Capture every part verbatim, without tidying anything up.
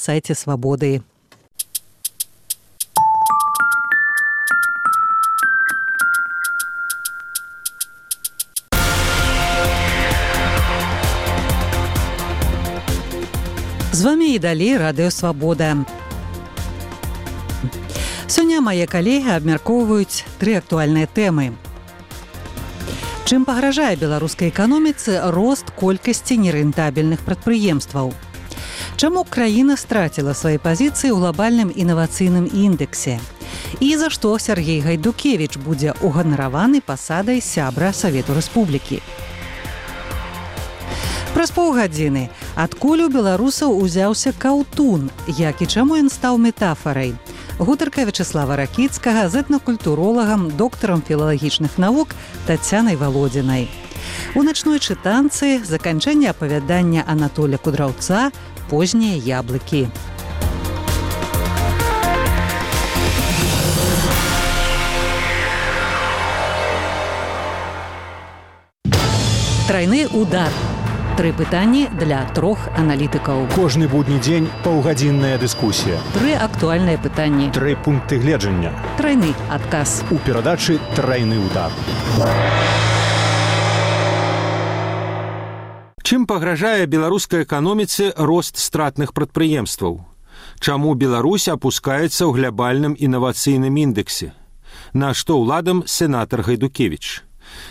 сайте «Свободы». З вами і далей радыё «Свабода». Сёння мае калегі абмяркоўваюць тры актуальныя тэмы. Чым пагражае беларускай эканоміцы рост колькасці нерэнтабельных прадпрыемстваў? Чаму краіна страціла свае пазіцыі ў глобальным інавацыйным індэксе? І за што Сяргей Гайдукевіч будзе уганараваны пасадай сябра Савету Рэспублікі? Праз паўгадзіны, адкуль у беларусаў узяўся каўтун, як і чаму ён стаў метафарай? Гутарка Вячеслава Ракіцкага з этнакультуролагам, доктарам філалагічных навук Тацянай Валодзінай. У начной чытанцы заканчэнне апавядання Анатоля Кудраўца «Познія яблыкі». Трайны удар. Тры пытанні для трох аналітыкаў. Кожны будні дзень паўгадзінная дыскусія. Тры актуальныя пытанні. Тры пункты гледжання. Трайны адказ. У перадачы «Трайны удар». Чым пагражае беларускай эканоміцы рост стратных прадпрыемстваў? Чаму Беларусь апускаецца ў глобальным інавацыйным індэксе? На што ўладам сенатар Гайдукевіч?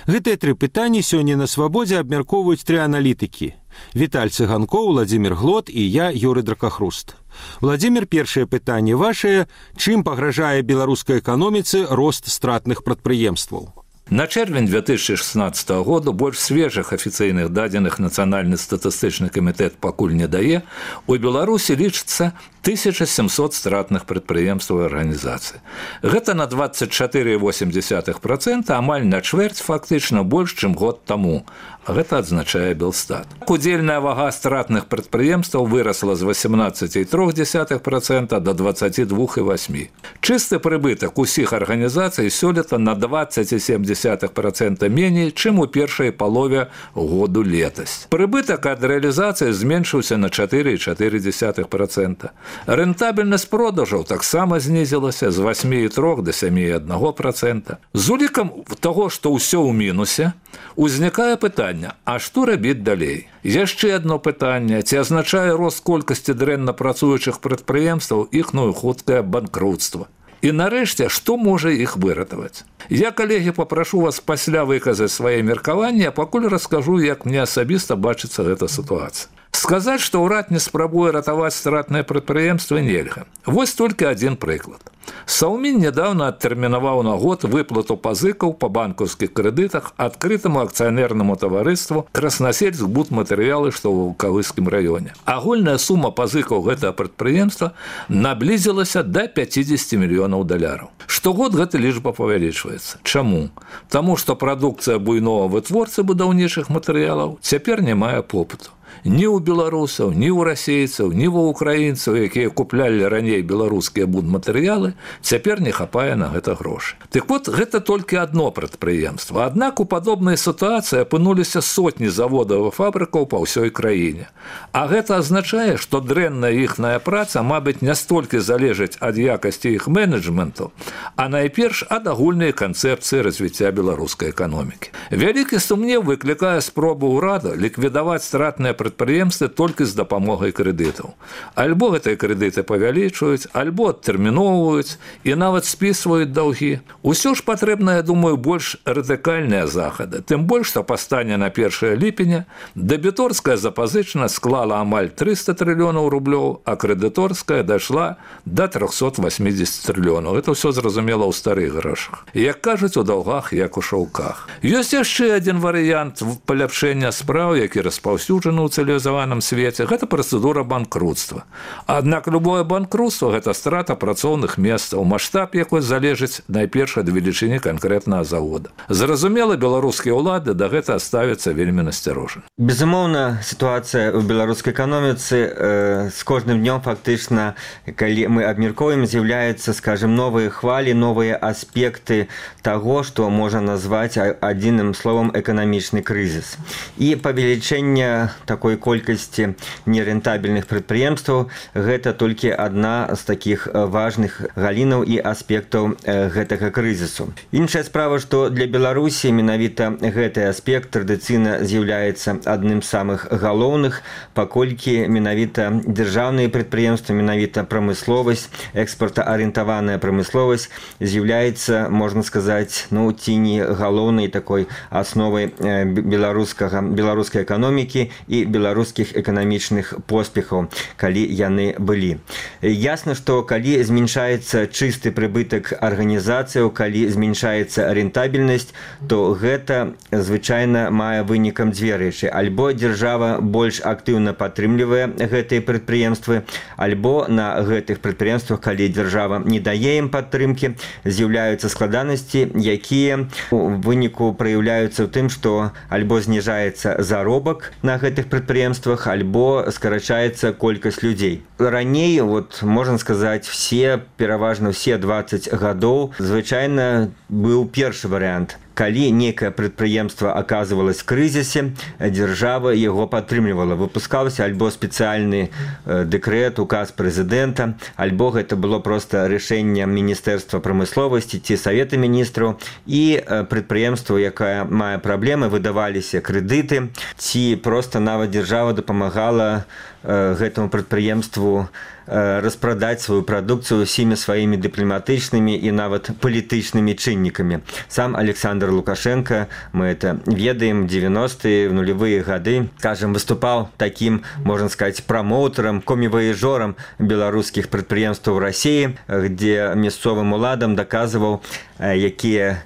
Гэтыя тры пытанні сёння на «Свабодзе» абмяркоўваюць тры аналітыкі. Віталь Цыганкоў, Владзімір Глот і я, Юрый Дракахруст. Владзімір, першае пытанне вашае. Чым пагражае беларускай эканоміцы рост стратных прадпрыемстваў? На чэрвень две тысячи шестнадцатого года больш свежых афіцыйных дадзеных Нацыянальны статыстычны камітэт пакуль не дае, у Беларусі лічыцца тысяча семьсот стратных прадпрыемстваў і арганізацый. Гэта на двадцать четыре и восемь десятых процента, амаль на чвэрць фактычна больш, чым год таму. А гэта адзначае Белстат. Удзельная вага стратных прадпрыемстваў вырасла з восемнадцать и три десятых процента до двадцать два и восемь. Чысты прыбытак усіх арганізацый сёлета на двадцать и семь десятых процента меней, чым у першай палове году летась. Прыбытак ад рэалізацыі зменшыўся на четыре и четыре десятых процента. Рэнтабельнасць продажаў таксама знізілася з восемь и три до семь и один процента. З улікам таго, што ўсё ў мінусе, узнікае пытанне, а што рабіць далей? Яшчэ адно пытанне, ці азначае рост колькасці дрэнна працуючых прадпрыемстваў іхнае хуткае банкруцтва? І нарэшце, што можа іх выратаваць? Я, калегі, папрашу вас пасля выказаць свае меркаванні, а пакуль раскажу, як мне асабіста бачыцца гэта сітуацыя. Сказаць, што ўрад не спрабуе ратаваць стратныя прадпрыемствы, нельга. Вось толькі адзін прыклад. Саўмін нядаўна адтэрмінаваў на год выплату пазыкаў па банкаўскіх крэдытах адкрытаму акцыянернаму таварыству «Краснасельск будматэрыялы», што ў Калыскім раёне. Агульная сума пазыкаў гэтага прадпрыемства наблізілася да пятьдесят мільёнаў даляраў. Штогод гэта лічба павялічваецца. Чаму? Таму што прадукцыя буйнога вытворцы будаўнічых матэрыялаў цяпер не мае попыту. Ні ў беларусаў, ні ў расейцаў, ні ва ўкраінцаў, якія куплялі раней беларускія будматэрыялы, цяпер не хапае на гэта грошы. Так вот, гэта толькі адно прадпрыемства. Аднак у падобнай сітуацыі апынуліся сотні заводаў і фабрыкаў па ўсёй краіне. А гэта азначае, што дрэнная іхная праца, мабыць, не столькі залежыць ад якасці іх менеджменту, а найперш ад агульнай канцэпцыі развіцця беларускай эканомікі. Вялікі сумнеў выклікае спробу ўрада ліквідаваць стратныя прадпрыемствы толькі з дапамогай крэдытаў. Альбо гэтыя крэдыты павялічваюць, альбо адтэрміноўваюць і нават спісваюць даўгі. Усё ж патрэбна, я думаю, больш радыкальныя захады. Тым больш, што па стане на першае ліпеня дэбіторская запазычана склала амаль триста трыльёнаў рублёў, а крэдыторская дайшла да триста восемьдесят трыльёнаў. Это ўсё зразумела ў старых грошах. Як кажуць, у даўгах, як у шаўках. Ёсць яшчэ адзін варыянт паляпшэння спраў, які распаўсюджаны ў цывілізаваным свеце, гэта працэдура банкрутства. Аднак любое банкрутство – гэта страта працоўных месцаў, маштаб якой залежыць найперш ад велічыні канкрэтнага завода. Зразумела, беларускія ўлады да гэта ставяцца вельмі насцярожана. Безумоўна, сітуацыя ў беларускай эканоміцы э, з кожным днём фактычна, калі мы абмяркоўваем, з'яўляюцца, скажем, новыя хвалі, новыя аспекты таго, што можна назваць адзіным словам эканамічны крызіс. І павелічэнне такого такой колькасці нерентабельных прадпрыемстваў, гэта толькі адна з такіх важных галінаў і аспектаў гэтага крызісу. Іншая справа, што для Беларусі менавіта гэты аспект традыцыйна з'яўляецца адным з самых галоўных, паколькі менавіта дзяржаўныя прадпрыемствы, менавіта прамысловасць, экспартаарыентаваная прамысловасць з'яўляецца, можна сказаць, ну, ці не галоўнай такой асновай беларускага, беларускай эканомікі і беларускіх эканамічных поспехаў, калі яны былі. Ясна, што калі зменшаецца чысты прыбытак арганізацыяў, калі зменшаецца рентабельнасць, то гэта звычайна мае вынікам дзве рэчы. Альбо дзяржава больш актыўна падтрымлівае гэтыя прадпрыемствы, альбо на гэтых прадпрыемствах, калі дзяржава не дае ім падтрымкі, з'яўляюцца складанасці, якія у выніку праяўляюцца ў тым, што альбо зніжаецца заробак на гэтых прадпрыемствах, альбо скарачаецца колькасць людзей. Раней, вот, можна сказаць, все, пераважна все дваццаць гадоў, звычайна быў першы варыянт. Калі некае прадпрыемства аказвалось в крызісе, дзяржава яго падтрымлівала. Выпускаўся альбо спецыяльны дэкрэт, указ прэзідэнта, альбо гэта было проста рашэнне Міністэрства прамысловасці ці Савета міністраў, і прадпрыемству, якая мае праблемы, выдаваліся крэдыты, ці проста нават дзяржава дапамагала гэтаму прадпрыемству распрадаць сваю прадукцыю ўсімі сваімі дыпламатычнымі і нават палітычнымі чыннікамі. Сам Александр Лукашенко, мы это ведаем, дзевяностыя, в нулевыя гады, скажем, выступаў такім, можна сказаць, прамоўтарам, коміваежорам беларускіх прадпрыемстваў Расіі, где мясцовым уладам даказваў, якія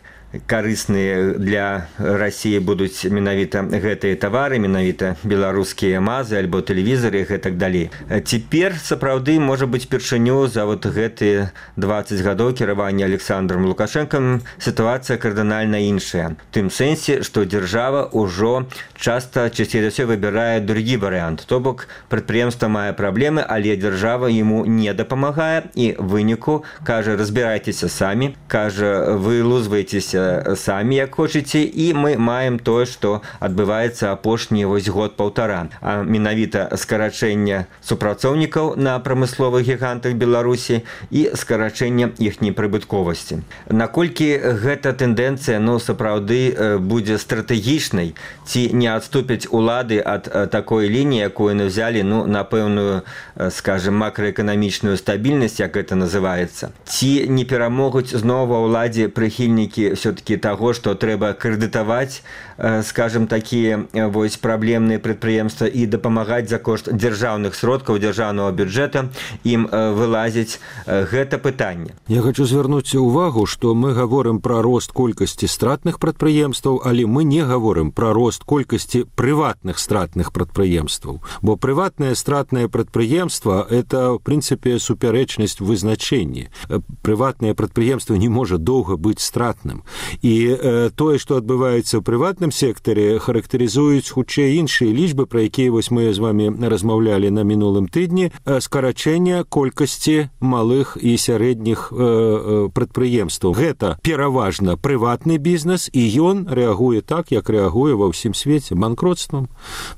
карысныя для Расіі будуць менавіта гэтыя тавары, менавіта беларускія мазы альбо тэлевізары і гэтак далей. Цяпер сапраўды можа быць першыню за вот гэтыя дваццаць гадоў кіравання Александром Лукашенком сітуацыя кардынальна іншая. В тым сэнсе, што дзяржава ўжо часта часцей за ўсё выбірае другі варыянт. То бок прадпрыемства мае праблемы, але дзяржава яму не дапамагае і выніку кажа: разбірайцеся самі, кажа, вылузвайцеся самі, як хочаце, і мы маем тое, што адбываецца апошні вось год-паўтара. А менавіта скарачэнне супрацоўнікаў на прамысловых гігантах Беларусі і скарачэнне іхняй прыбытковасці. Наколькі гэта тэндэнцыя, ну, сапраўды будзе стратэгічнай, ці не адступяць улады ад такой лініі, якую яны взялі, ну, на пэўную, скажем, макраэканамічную стабільнасць, як гэта называецца. Ці не перамогуць зноў ва ўладзе прыхільнікі все-таки таго, што трэба крэдытаваць, скажем, такія вось праблемныя прадпрыемствы і дапамагаць за кошт дзяржаўных сродкаў, дзяржаўнага бюджэта ім вылазіць, гэта пытанне. Я хочу звярнуць увагу, што мы гаворым пра рост колькасці стратных прадпрыемстваў, але мы не гаворым пра рост колькасці прыватных стратных прадпрыемстваў, бо прыватнае стратнае прадпрыемства — это, в прынцыпе, супярэчнасць вызначэнні. Прыватнае прадпрыемства не можа доўга быць стратным. І э, тое, што адбываецца ў прыватным сектары, характарызуюць хутчэй іншыя лічбы, пра якія вось мы з вамі размаўлялі на мінулым тыдні, скарачэння колькасці малых і сярэдніх э, прадпрыемстваў. Гэта пераважна прыватны бізнес, і ён рэагуе так, як рэагуе ва ўсім свеце: банкротствам,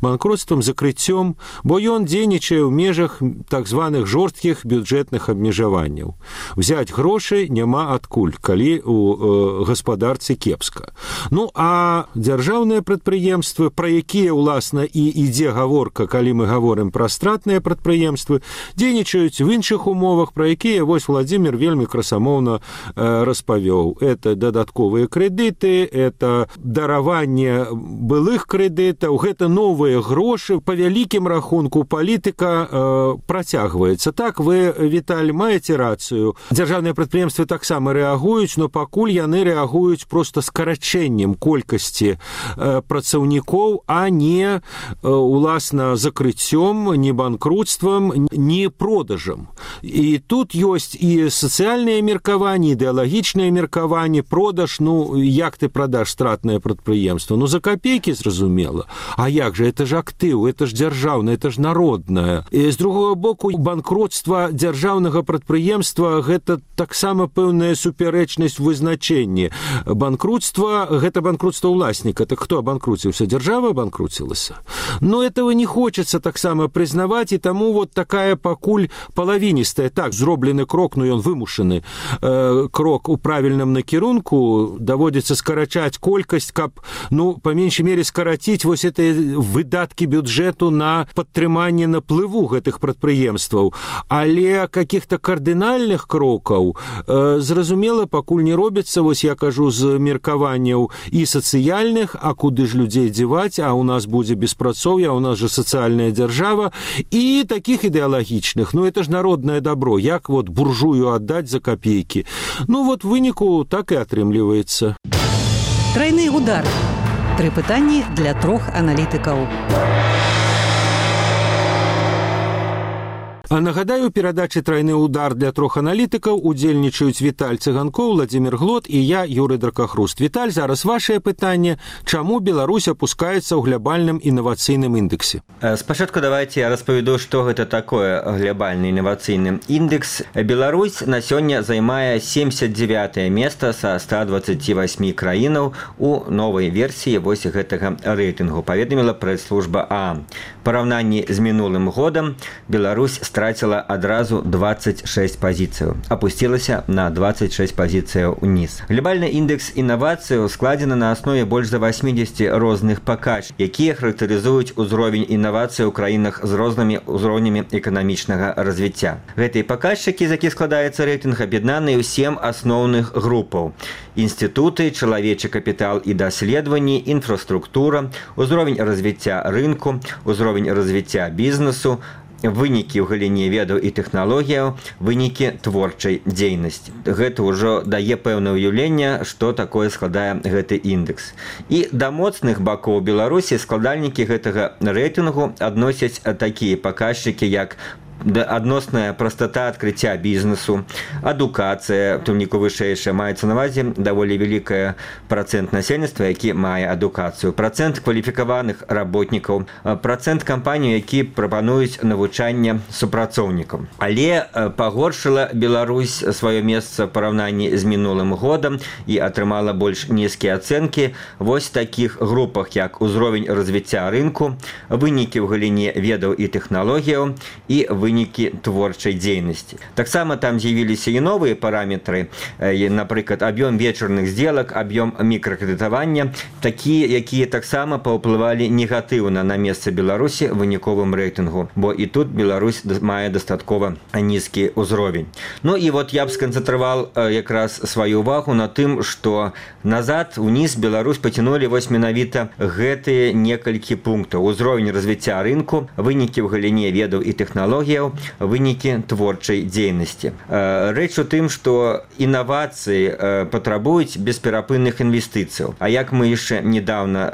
банкротствам, закрыццём, бо ён дзейнічае ў межах так званых жорсткіх бюджэтных абмежаванняў. Взяць грошы няма адкуль, калі у э, гаспадарцы кепска. Ну, а дзяржаўныя прадпрыемствы, пра якія, уласна, і ідзе гаворка, калі мы гаворым пра стратныя прадпрыемствы, дзейнічаюць в іншых умовах, пра якія вось Владзімір вельмі красамоўна э, распавёў. Это дадатковыя крэдыты, это дараванне былых крэдытаў, гэта новыя грошы. Па вялікім рахунку палітыка э, працягваецца. Так, вы, Віталь, маеце рацыю. Дзяржаўныя прадпрыемствы таксама рэагуюць, но пакуль яны рэагуюць проста скарачэннем колькасці э, працаўнікоў, а не э, уласна закрыццём, не банкрутствам, не продажам. І тут ёсць і сацыяльныя меркаванні, ідэалагічныя меркаванні. Продаж, ну, як ты прадаш стратнае прадпрыемства? Ну, за копейкі, зразумела. А як же, это ж актыў, это ж дзяржаўнае, это ж народнае. І з другого боку, банкротства дзяржаўнага прадпрыемства — гэта таксама пэўная супярэчнасць вызначэння. банкрутства гэта банкрутства ўласніка. Так хто абанкруціўся? Дзяржава абанкруцілася. Но этого не хочется таксама прызнаваць, і таму вот такая пакуль палавіністая. Так, зроблены крок, но ён вымушаны э, крок у правільным накірунку, даводзіцца скарачаць колькасць, каб, ну, па меншай мере скараціць вось гэтыя выдаткі бюджэту на падтрыманне наплыву гэтых прадпрыемстваў. Але каких-то кардынальных крокаў, э, зразумела, пакуль не робіцца. Вось я кажу з меркаванняў і сацыяльных, а куды ж людзей дзеваць, а у нас будзе беспрацоўе, а у нас же сацыяльная дзяржава, і таких ідэалагічных. Ну, это ж народное добро. Як вот буржую аддаць за копейки? Ну, вот в выніку так і атрымліваецца. Трайны удар. Тры пытанні для трох аналітыкаў. А нагадаю, у перадачы «Трайны удар» для трох аналітыкаў удзельнічаюць Віталь Цыганкоў, Владзімір Глот і я, Юрый Дракахруст. Віталь, зараз вашае пытанне. Чаму Беларусь апускаецца ў глобальным інавацыйным індексе? Спачатку давайте я распавяду, што гэта такое глобальны інавацыйны індекс. Беларусь на сёння займае семьдесят девятое место са ста двадцати восьми краінаў у новай версіі вось гэтага рэйтынгу, паведаміла прэс-служба ААМ. Параўнанні з мінулым годам Беларусь страціла адразу двадцать шесть пазіцыяў, апусцілася на двадцать шесть пазіцыяў уніз. Глобальны індекс інавацыяў складзены на аснове больш за восьмидесяти розных паказчыкаў, якія характарызуюць узровень інавацый у краінах з рознымі ўзроўнямі эканамічнага развіцця. Гэтыя паказчыкі, з якіх складаецца рэйтынг, аб'яднаныя ў сем асноўных групаў: інстытуты, чалавечы капітал і даследаванні, інфраструктура, узровень развіцця рынку, узровень развіцця бізнесу, вынікі ў галіне ведаў і тэхналогіяў, вынікі творчай дзейнасці. Гэта ўжо дае пэўнае ўяўленне, што такое складае гэты індекс. І да моцных бакоў Беларусі складальнікі гэтага рэйтынгу адносяць такія паказчыкі, як адносная прастата адкрыцця бізнесу, адукацыя, у тым ліку вышэйшая, маецца на ўвазе даволі вялікая працэнт насельніцтва, які мае адукацыю, працэнт кваліфікаваных работнікаў, працэнт кампаній, які прапануюць навучанне супрацоўнікам. Але пагоршыла Беларусь сваё месца ў параўнанні з мінулым годам і атрымала больш нізкія ацэнкі вось такіх групах, як узровень развіцця рынку, вынікі ў галіне ведаў і тэхналогіяў і вынікі творчай дзейнасці. Таксама там з'явіліся і новыя параметры, напрыклад, аб'ём вечарных сделак, аб'ём мікракрэдытавання, такія, якія таксама паўплывалі негатыўна на месца Беларусі ў выніковым рэйтынгу, бо і тут Беларусь мае дастаткова нізкі ўзровень. Ну і вот я б сканцэнтраваў якраз сваю ўвагу на тым, што назад, уніз Беларусь пацянулі вось менавіта гэтыя некалькі пунктаў: узровень развіцця рынку, вынікі ў галіне ведаў і тэхналогій, вынікі творчай дзейнасці. Рэч у тым, што інавацыі патрабуюць бесперапынных інвестыцыяў. А як мы яшчэ недавно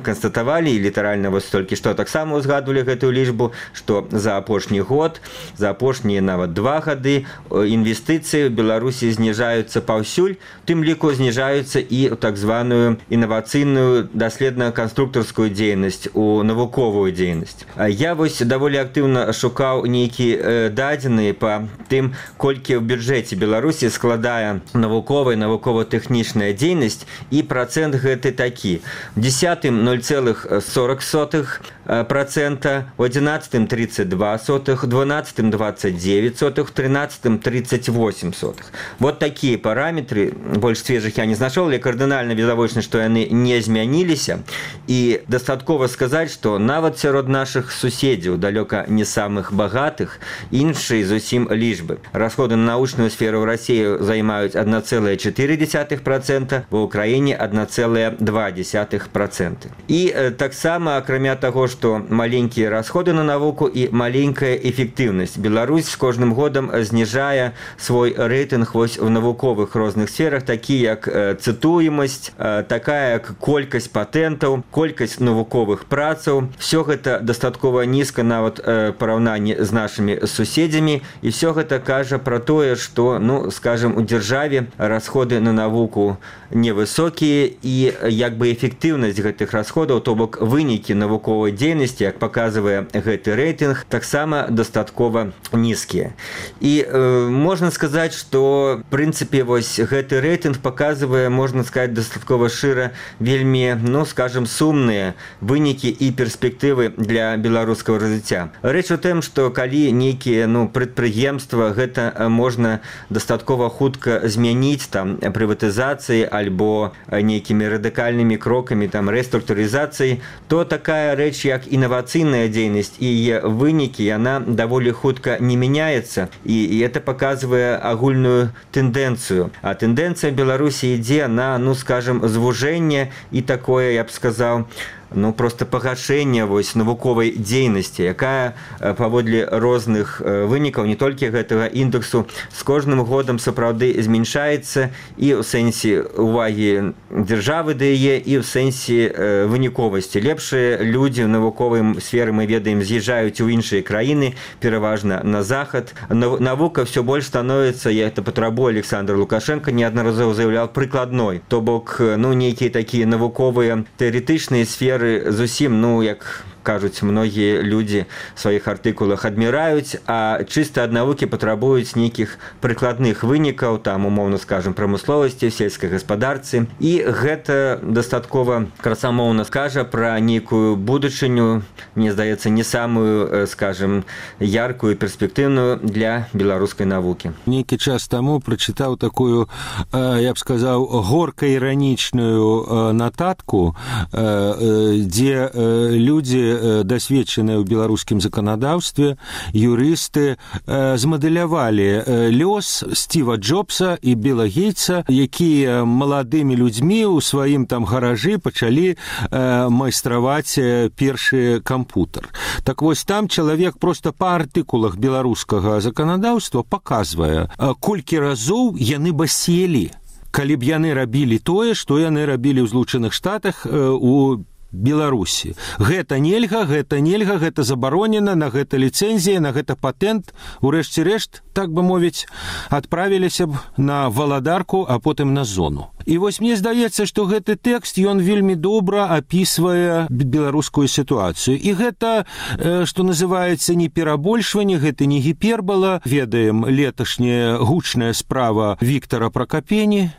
канстатавалі, і літаральна вось толькі што таксама ўзгадвалі гэтую лічбу, што за апошні год, за апошнія нават два гады інвестыцыі ў Беларусі зніжаюцца паўсюль, тым ліку зніжаюцца і так званую інавацыйную даследна-канструктарскую дзейнасць, у навуковую дзейнасць. Я вось даволі актыўна шукаў нейкія дадзеныя па тым, колькі ў бюджэце Беларусі складае навуковая, навукова-тэхнічная дзейнасць, і працэнт гэты такі: у дзесятым ноль цэлых сорок сотых процента, у одиннадцатым тридцать два сотых, у дванадцатым двадцать девять сотых, у тринадцатым тридцать восемь сотых. Вот такія параметры, больш свежых я не знайшоў, але кардынальна відавочна, што яны не змяніліся. І дастаткова сказаць, што нават сярод нашых суседзяў, далёка не самых багатых, іншыя зусім лічбы. Расходы на научную сферу ў Расіі займаюць одна цэлая чатыры дзесятых процента, ва ўкраіне одна цэлая два дзесятых процента. І э, таксама, акрамя таго, што маленькія расходы на навуку і маленькая эфектыўнасць, Беларусь з кожным годам зніжае свой рэйтынг вось у навуковых розных сферах, такі як э, цытуемасць, э, такая як колькасць патэнтаў, колькасць навуковых працаў. Всё гэта дастаткова нізка нават э, параўнанні з нашымі суседзямі, і все гэта кажа пра тое, што, ну, скажем, у дзяржаве расходы на навуку невысокія, і як бы эфектыўнасць гэтых расходаў, то бок вынікі навуковай дзейнасці, як паказвае гэты рэйтынг, таксама дастаткова нізкія. І э, можна сказаць, што в прынцыпе вось гэты рэйтынг паказвае, можна сказаць, дастаткова шыра вельмі, ну, скажем, сумныя вынікі і перспектывы для беларускага развіцця. Рэч у тым, што калі нейкія, ну, прадпрыемства, гэта можна дастаткова хутка змяніць там прыватызацыі альбо нейкімі радыкальнымі крокамі там рэструктурызацыі, то такая рэч, як інавацыйная дзейнасць і яе вынікі, яна даволі хутка не мяняецца, і, і это паказвае агульную тэндэнцыю. А тэндэнцыя Беларусі ідзе на, ну, скажем, звужэнне і такое, я б сказаў, ну, просто пагашэнне вось навуковай дзейнасці, якая паводле розных вынікаў, не толькі гэтага індексу, з кожным годам сапраўды змяншаецца і ў сэнсе увагі дзяржавы да яе, і ў сэнсе выніковасці. Лепшыя людзі ў навуковай сферы, мы ведаем, з'язджаюць у іншыя краіны, пераважна на захад. Навука все больш становіцца, я это патрабую, Александр Лукашенко неаднаразова заяўляў, прыкладной. То бок, ну, нейкія такія навуковыя тэарэтычныя сферы зусім, ну, як кажуць многія людзі в сваіх артыкулах, адміраюць, а чыста ад навукі патрабуюць нейкіх прыкладных вынікаў, там, умоўна скажем, прамысловасці, сельскай гаспадарцы. І гэта дастаткова красамоўна скажа пра нейкую будучыню, мне здаецца, не самую, скажем, яркую, перспектыўную для беларускай навукі. Нейкі час таму прачытаў такую, я б сказаў, горка-іранічную нататку, дзе людзі дасведчаныя ў беларускім заканадаўстве, юрысты, змадэлявалі лёс Стіва Джобса і Біла Гейтса, якія маладымі людзьмі ў сваім там гаражы пачалі майстраваць першы кампутер. Так вось там чалавек проста па артыкулах беларускага заканадаўства паказвае, колькі разоў яны баселі, калі б яны рабілі тое, што яны рабілі ў Злучаных Штатах у Беларусі. Гэта нельга, гэта нельга, гэта забаронена, на гэта ліцэнзія, на гэта патэнт. Урэшце рэшт, так бы мовіць, адправіліся б на валадарку, а потым на зону. І вось мне здаецца, што гэты тэкст, ён вельмі добра апісвае беларускую сітуацыю. І гэта, што называецца, не перабольшванне, гэта не гіпербала. Ведаем леташняя гучная справа Віктора Пракапені.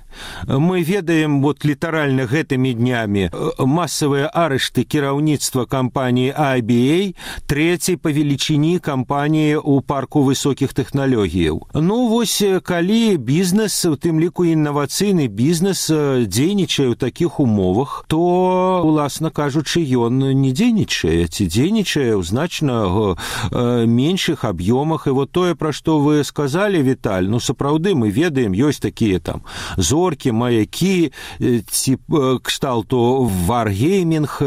Мы ведаем, вот літаральна гэтымі днямі масавыя арышты кіраўніцтва кампаніі ай би эй, трэцяй па велічыні кампаніі ў парку высокіх тэхналогіяў. Ну, вось, калі бізнес, у тым ліку інавацыйны бізнес, дзейнічае ў такіх умовах, то, уласна кажучы, ён не дзейнічае, ці дзейнічае ў значна меншых аб'ёмах. І вот тое, пра што вы сказалі, Віталь, ну, сапраўды, мы ведаем, ёсць такія там зоркі, маякі, ці кшталту варгеймінг,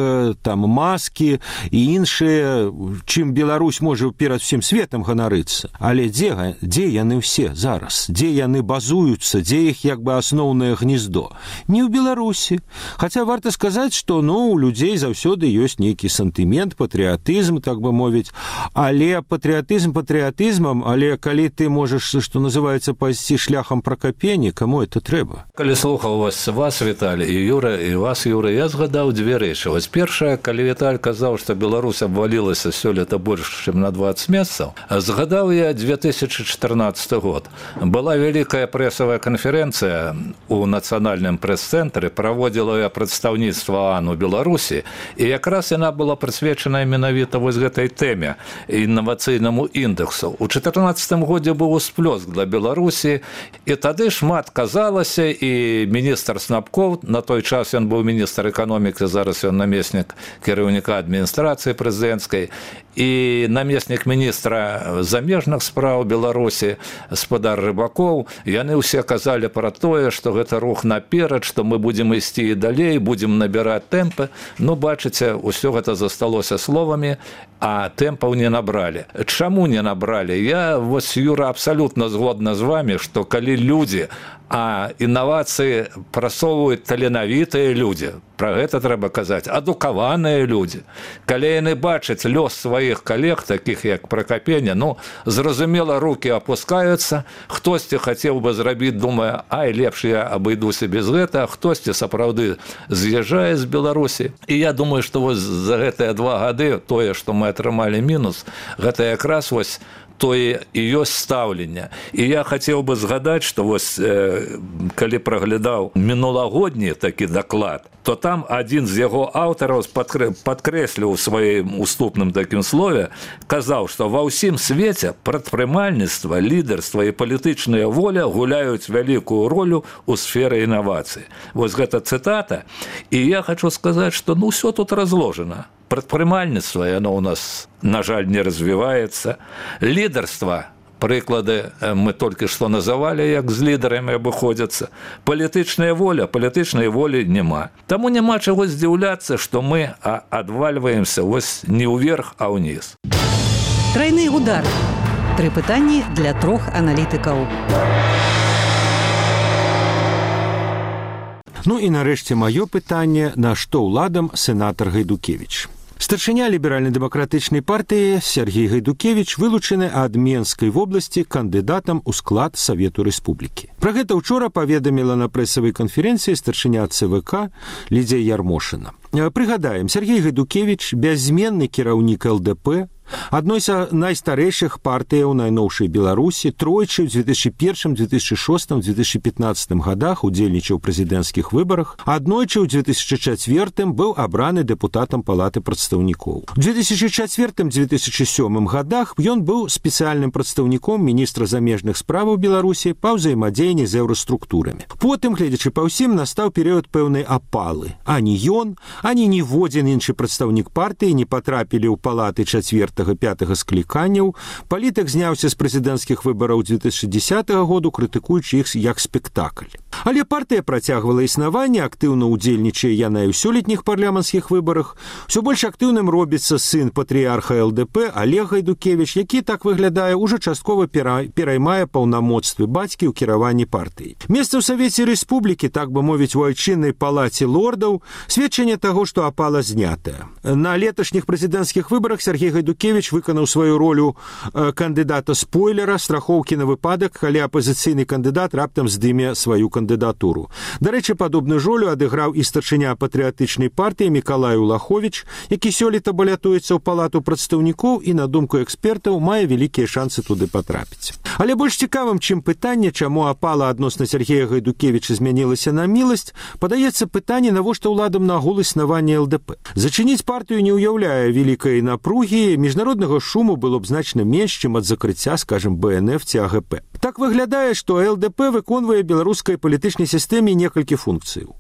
там маскі і іншыя, чым Беларусь можа перад усім светам ганарыцца. Але дзе, дзе яны ўсе зараз? Дзе яны базуюцца? Дзе іх як бы асноўнае гнездо? Не ў Беларусі. Хаця варта сказаць, што, ну, у людзей заўсёды ёсць нейкі сантымент, патрыятызм, так бы мовіць. Але патрыятызм патрыятызмам, але калі ты можаш, што называецца, пайсці шляхам Пракапені, каму это трэба? Калі слухаў вас, вас, Віталь, і Юра, і вас, Юра, я згадаў дзве рэчы. Вось першая, калі Віталь казаў, што Беларусь абвалілася сёлета больш, чым на дваццаць месяцаў, згадаў я две тысячы чатырнаццаты год. Была вялікая прэсавая канферэнцыя ў нацыянальным прэс-цэнтры, праводзіла я прадстаўніцтва ААН у Беларусі, і якраз яна была прысвечана менавіта вось гэтай тэме, інавацыйнаму індэксу. У чатырнаццатым годзе быў усплёск для Беларусі, і тады шмат казалася, і міністр Снапков, на той час ён быў міністр эканомікі, зараз ён намеснік кіраўніка адміністрацыі прэзідэнцкай, і намеснік міністра замежных спраў Беларусі, спадар Рыбакоў, яны ўсе казалі пра тое, што гэта рух наперад, што мы будзем ісці і далей, будзем набіраць тэмпы. Ну, бачыце, усё гэта засталося словамі, а тэмпаў не набралі. Чаму не набралі? Я, вось, Юра, абсалютна згодна з вамі, што калі людзі, а інавацыі прасоўваюць таленавітыя людзі, Пра гэта трэба казаць. Адукаваныя людзі. Калі яны бачаць лёс сваіх калег, такіх як Пракапеня, ну, зразумела, рукі апускаюцца, хтосьці хацеў бы зрабіць, думае, ай, лепш я абыдуся без гэта, хтосьці сапраўды з'язджае з Беларусі. І я думаю, што вось за гэтыя два гады тое, што мы атрымалі мінус, гэта якраз вось тое і ёсць стаўленне. І я хацеў бы згадаць, што вось, э, калі праглядаў мінулагодні такі даклад, то там адзін з яго аўтараў падкрэсліў у сваім уступным такім слове, казаў, што ва ўсім свеце прадпрымальніцтва, лідарства і палітычная воля гуляюць вялікую ролю ў сферы інавацый. Вось гэта цытата. І я хочу сказаць, што ну ўсё тут разложана. Прадпрымальніцтва, яно ў нас, на жаль, не развіваецца. Лідарства, прыклады мы толькі што называлі, як з лідарамі абыходзяцца. Палітычная воля, палітычнай волі няма. Таму няма чаго здзіўляцца, што мы адвальваемся вось не ўверх, а ўніз. Трайны удар. Тры пытанні для трох аналітыкаў. Ну і нарэшце маё пытанне, на што ўладам сенатар Гайдукевіч. Старшыня ліберальна-дэмакратычнай партыі Сергей Гайдукевіч вылучаны ад Менскай вобласці кандыдатам у склад Савету Рэспублікі. Пра гэта ўчора паведаміла на прэсавай канферэнцыі старшыня ЦВК Лідзія Ярмошына. Прыгадаем, Сергей Гайдукевіч бяззменны кіраўнік ЛДП, адной з найстарэйшых партыяў найноўшай Беларусі, тройчы ў дзве тысячы першым, дзве тысячы шостым, дзве тысячы пятнаццатым гадах удзельнічаў у прэзідэнцкіх выбарах, аднойчы ў дзве тысячы чацвёртым быў абраны дэпутатам Палаты прадстаўнікоў. У дзве тысячы чацвёртым - дзве тысячы сёмым гадах ён быў спецыяльным прадстаўніком міністра замежных справаў Беларусі па ўзаемадзеянні з еўраструктурамі. Потым, гледзячы па ўсім, настаў перыяд пэўнай апалы. Ані ён, ані ніводзін іншы прадстаўнік партыі не патрапілі ў палаты чацвёртага пятага скліканняў. Палітык зняўся з прэзідэнцкіх выбараў дзве тысячы дзесятага году, крытыкуючы іх як спектакль. Але партыя працягвала існаванне, актыўна ўдзельнічае яна і ў сёлетніх парламенцкіх выбарах. Усё больш актыўным робіцца сын патрыярха ЛДП Олег Гайдукевіч, які, так выглядае, уже часткова пераймае паўнамоцтвы бацькі ў кіраванні партыі. Месца ў Савеце Рэспублікі, так бы мовіць, у айчыннай палаце лордаў, сведчанне таго, што апала знятая. На леташніх прэзідэнцкіх выбарах Сергей Гайдукевіч выканаў сваю ролю кандыдата-спойлера, страхоўкі на выпадак, калі апазіцыйны кандыдат раптам здыме сваю кандыдатуру. Дарэчы, падобную ролю адыграў і старшыня патрыятычнай партыі Мікалай Улаховіч, які сёлета балятуецца ў палату прадстаўнікоў і, на думку экспертаў, мае вялікія шансы туды патрапіць. Але больш цікавым, чым пытанне, чаму апала адносна Сергея Гайдукевіча змянілася на міласць, падаецца пытанне, навошта ўладам нагул існавання ЛДП. Зачыніць партыю не ўяўляе вялікай напругі, міжнароднага шуму было б значна менш, чым ад закрыцця, скажем, БНФ ці АГП. Так выглядае, што ЛДП выконвае беларускай палітычнай сістэме некалькі функцыяў.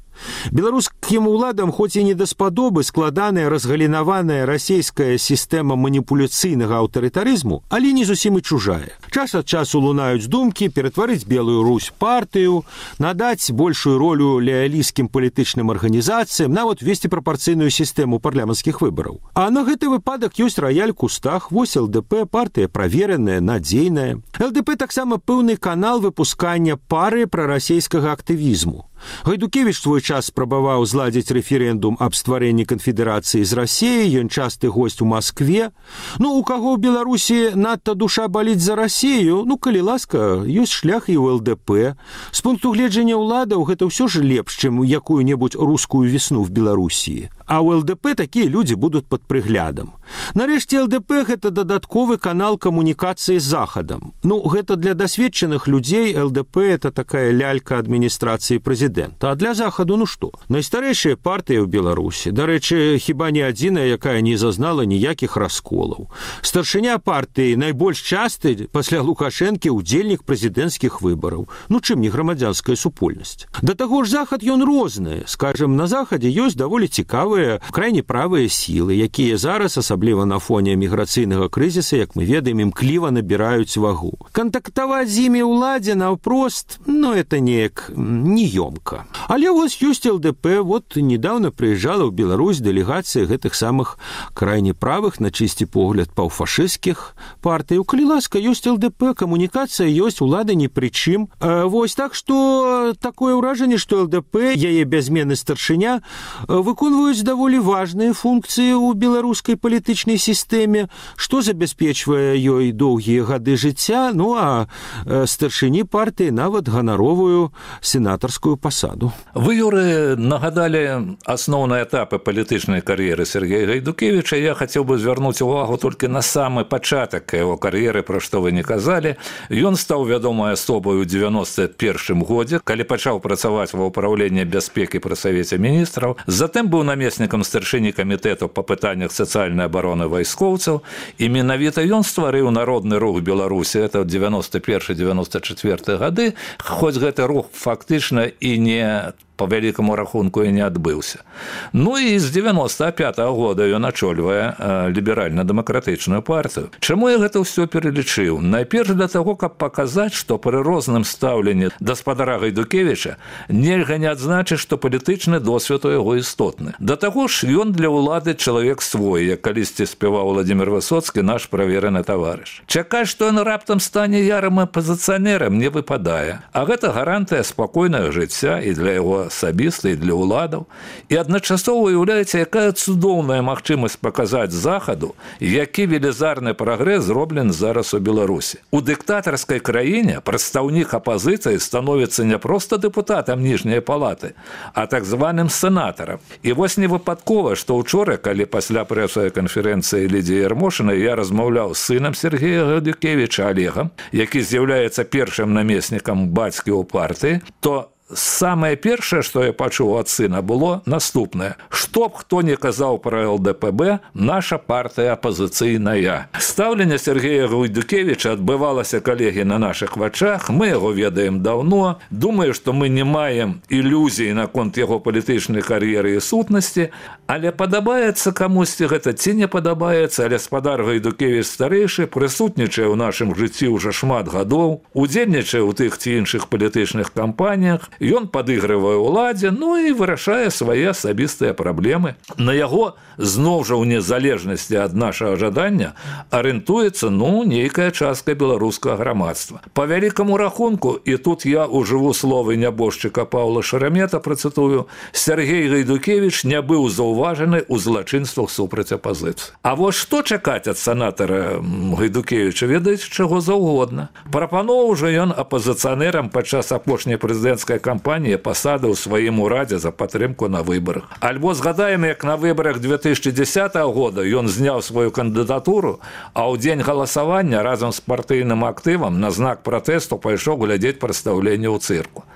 Беларускім уладам, хоць і не даспадобы складаная разгалінаваная расійская сістэма маніпуляцыйнага аўтарытарызму, але не зусім і чужая. Час ад часу лунаюць думкі ператварыць Белую Русь партыю, надаць большую ролю леалійскім палітычным арганізацыям, нават весці прапарцыйную сістэму парламенцкіх выбараў. А на гэты выпадак ёсць раяль кустах, вось ЛДП, партыя правераная, надзейная. ЛДП таксама пэўны канал выпускання пары прарасійскага актывізму. Гайдукевіч свой час спрабаваў зладзіць рэферэндум аб стварэнні канфедэрацыі з Расіяй, ён часты госць у Маскве. Ну, у каго ў Беларусі надта душа баліць за Расію, ну, калі ласка, ёсць шлях і ў ЛДП. З пункту гледжання ўладаў гэта ўсё ж лепш, чым якую-небудзь рускую весну в Беларусі. А ў ЛДП такія людзі будуць пад прыглядам. Нарэшце, ЛДП – гэта дадатковы канал камунікацыі з Захадам. Ну, гэта для дасведчаных людзей ЛДП – это такая лялька адміністрацыі прэзідэнта. А для Захаду, ну што? Найстарэйшая партыя ў Беларусі. Дарэчы, хіба не адзіная, якая не зазнала ніякіх расколаў. Старшыня партыі найбольш часты пасля Лукашэнкі ўдзельнік прэзідэнцкіх выбараў. Ну, чым не грамадзянская супольнасць? Да таго ж Захад ён розны. Скажем, на Захадзе ёсць даволі цікавыя, крайне правыя сілы, якія зараз, асабліва на фоне міграцыйнага крызіса, як мы ведаем, імкліва набіраюць вагу. Кантактаваць з імі ўладзе наўпрост, ну, это неяк неёмка. мамка. Але вось ёсць ЛДП, вот недавно прыязджала ў Беларусь дэлегацыя гэтых самых крайне правых, на чысці погляд паўфашысцкіх партый. Калі ласка, ёсць ЛДП, камунікацыя ёсць, улада ні пры чым. Вось так што такое ўражанне, што ЛДП, яе бязменны старшыня, выконваюць даволі важныя функцыі ў беларускай палітычнай сістэме, што забяспечвае ёй доўгія гады жыцця, ну а старшыні партыі нават ганаровую сенатарскую пасаду. Вы, Юры, нагадалі асноўныя этапы палітычнай кар'еры Сергея Гайдукевіча. Я хацеў бы звярнуць увагу толькі на самы пачатак яго кар'еры, пра што вы не казалі. Ён стаў вядомай асобай у дзевяноста першым годзе, калі пачаў працаваць ва ўпраўленні бяспекі пры Савеце міністраў. Затым быў намеснікам старшыні камітэту па пытаннях сацыяльнай абароны вайскоўцаў, і менавіта ён стварыў народны рух Беларусі, это дзевяноста першы — дзевяноста чацвёрты гады, хоць гэты рух фактычна і не по вялікаму рахунку і не адбыўся. Ну і з дзевяноста пятага года ён ачольвае ліберальна-дэмакратычную партыю. Чаму я гэта ўсё пералічыў? Найперш для таго, каб паказаць, што пры розным стаўленні да спадара Гайдукевіча нельга не адзначыць, што палітычны досвед у яго істотны. Да таго ж ён для ўлады чалавек свой, як калісьці спяваў Владзімір Высоцкі, наш правераны таварыш. Чакаць, што ён раптам стане ярым апазіцыянерам, не выпадае. А гэта гарантыя спакойнага жыцця і для яго асабіста, і для ўладаў. І адначасова уяўляеце, якая цудоўная магчымасць паказаць захаду, які велізарны прагрэс зроблены зараз у Беларусі. У дыктатарскай краіне прадстаўнік апазіцыі становіцца не проста дэпутатам ніжняй палаты, а так званым сенатарам. І вось не выпадкова, што ўчора, калі пасля прэсавай канферэнцыі Лідзіі Ярмошынай я размаўляў з сынам Сергея Гайдукевіча Олегам, які з'яўляецца першым намеснікам бацькі ў партыі, то самае першае, што я пачуў ад сына, было наступнае. Што б хто не казаў пра ЛДПБ, наша партыя апазіцыйная. Стаўленне Сергея Гайдукевіча адбывалася, калегі, на нашых вачах. Мы яго ведаем даўно. Думаю, што мы не маем ілюзій наконт яго палітычнай кар'еры і сутнасці, але падабаецца камусьці гэта ці не падабаецца, але спадар Гайдукевіч старэйшы прысутнічае ў нашым жыцці ўжо шмат гадоў, удзельнічае ў тых ці іншых палітычных кампаніях. Ён падыгрывае ўладзе, ну і вырашае свае асабістыя праблемы. На яго, зноў жа ў незалежнасці ад нашага жадання, арыентуецца, ну, нейкая частка беларускага грамадства. Па вялікаму рахунку, і тут я ужыву словы нябожчыка Паўла Шарамета, працытую, Сергей Гайдукевіч не быў заўважаны ў злачынствах супраць апазіцыі. А вось што чакаць ад сенатара Гайдукевіча, ведаеце, чаго заўгодна. Прапановаў жа ён апазіцыянерам падчас апошняй прэзідэнцкай кампаніі пасады ў сваім урадзе за падтрымку на выбарах. Альбо згадаем, як на выбарах две тысячи дзесятага года ён зняў сваю кандыдатуру, а ў дзень галасавання разам з партыйным актывам на знак пратэсту пайшоў глядзець прадстаўленне ў цырку.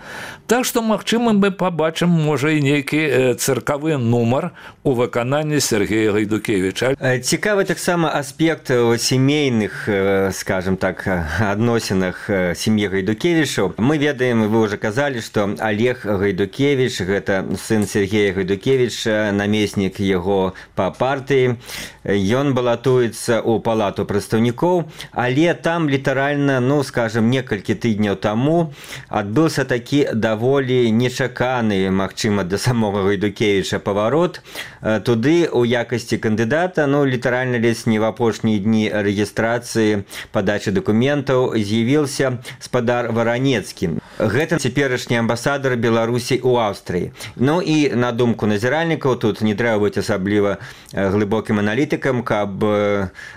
Так што, магчыма, мы пабачым, можа, і нейкі цыркавы нумар у выкананні Сергея Гайдукевіча. Цікавы таксама аспект у сямейных, скажем так, адносінах сям'і Гайдукевічаў. Мы ведаем, вы ўжо казалі, што Олег Гайдукевіч, гэта сын Сергея Гайдукевіча, намеснік яго па партыі. Ён балатуецца ў палату прадстаўнікоў, але там літаральна, ну, скажем, некалькі тыдняў таму адбыўся такі даволі нечаканы, магчыма, для самога Гайдукевіча паварот. Туды у якасці кандыдата, ну, літаральна ледзь не в апошнія дні рэгістрацыі падачы дакументаў з'явіўся спадар Варанецкі. Гэта цяперашні амбасадар Беларусі ў Аўстрыі. Ну і на думку назіральнікаў, тут не трэба быць асабліва глыбокім аналітыкам, каб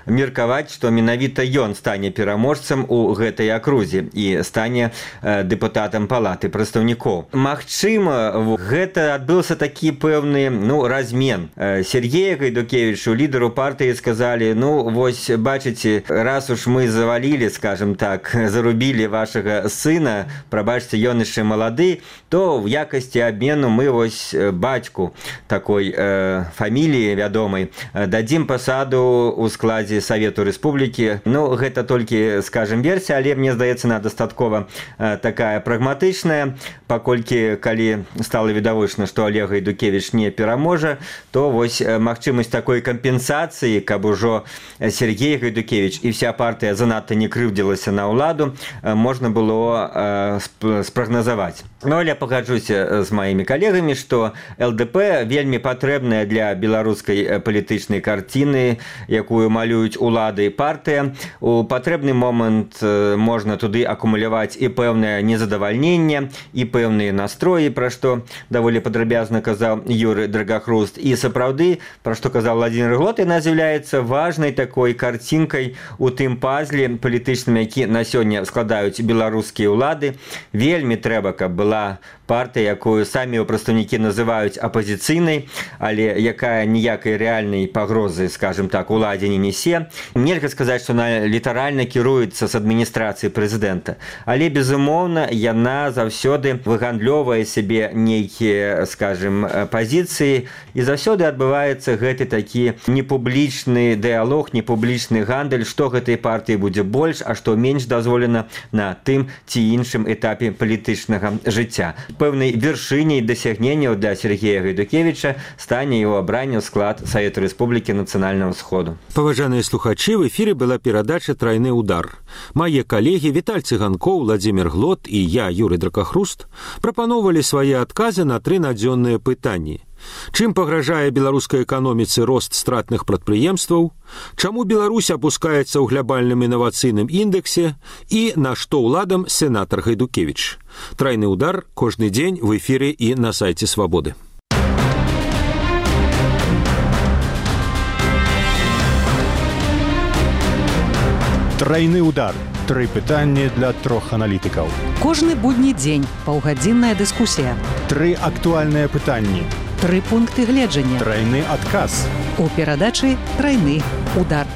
меркаваць, што менавіта ён стане пераможцам у гэтай акрузе і стане дэпутатам палаты прадстаўнікоў. Магчыма, гэта адбыўся такі пэўны, ну, размен. Сергея Гайдукевічу, лідару партыі, сказалі, ну, вось, бачыце, раз уж мы завалілі, скажем так, зарубілі вашага сына, прабачце, ён яшчэ малады, то в якасці абмену мы вось бацьку такой э, фаміліі вядомай дадзім пасаду ў складзе Савету Рэспублікі. Ну, гэта толькі, скажем, версія, але мне здаецца, она дастаткова э, такая прагматычная, паколькі калі стала відавочна, што Олег Гайдукевіч не пераможа, то вось магчымасць такой кампенсацыі, каб ужо Сергей Гайдукевіч і вся партыя занадта не крыўдзілася на ўладу, можна было спрагназаваць. Ну, але пагаджуся з маімі калегамі, што эл дэ пэ вельмі патрэбная для беларускай палітычнай карціны, якую малююць улады і партыя. У патрэбны момант можна туды акумуляваць і пэўнае незадавальненне, і пэўныя настроі, пра што даволі падрабязна казаў Юры Драгахруст. І сапраўды, пра што казаў Владзімір Глот, яна з'яўляецца важнай такой карцінкай у тым пазле палітычным, які на сёння складаюць беларускія ўлады. Вельмі трэба, каб была партыя, якую самі прадстаўнікі называюць апазіцыйнай, але якая ніякай рэальнай пагрозы, скажем так, уладзе не несе. Нельга сказаць, што она літаральна кіруецца з адміністрацыі прэзідэнта, але, безумоўна, яна заўсёды выгандлёвае сябе нейкія, скажем, пазіцыі, і заўсёды адбываецца гэты такі непублічны дыялог, непублічны гандаль, што гэтай партыі будзе больш, а што менш дазволена на тым ці іншым этапе палітычнага жыцця. Пэўнай вяршыняй дасягненняў для Сергея Гайдукевіча стане яго абранне ў склад Савету Рэспублікі Нацыянальнага Сходу. Паважаныя слухачы, в эфіры была перадача «Трайны удар». Мае калегі Віталь Цыганкоў, Владзімір Глот і я, Юры Драгахруст, прапаноўвалі свае адказы на тры надзённыя пытанні. Чым пагражае беларускай эканоміцы рост стратных прадпрыемстваў, чаму Беларусь апускаецца ў глобальным інавацыйным індексе і на што ўладам сенатар Гайдукевіч. Трайны удар кожны дзень в эфіры і на сайце Свабоды. Трайны удар. Тры пытанні для трох аналітыкаў. Кожны будні дзень паўгадзінная дыскусія. Тры актуальныя пытанні. Тры пункты гледжання. Трайны адказ. У перадачы «Трайны удар».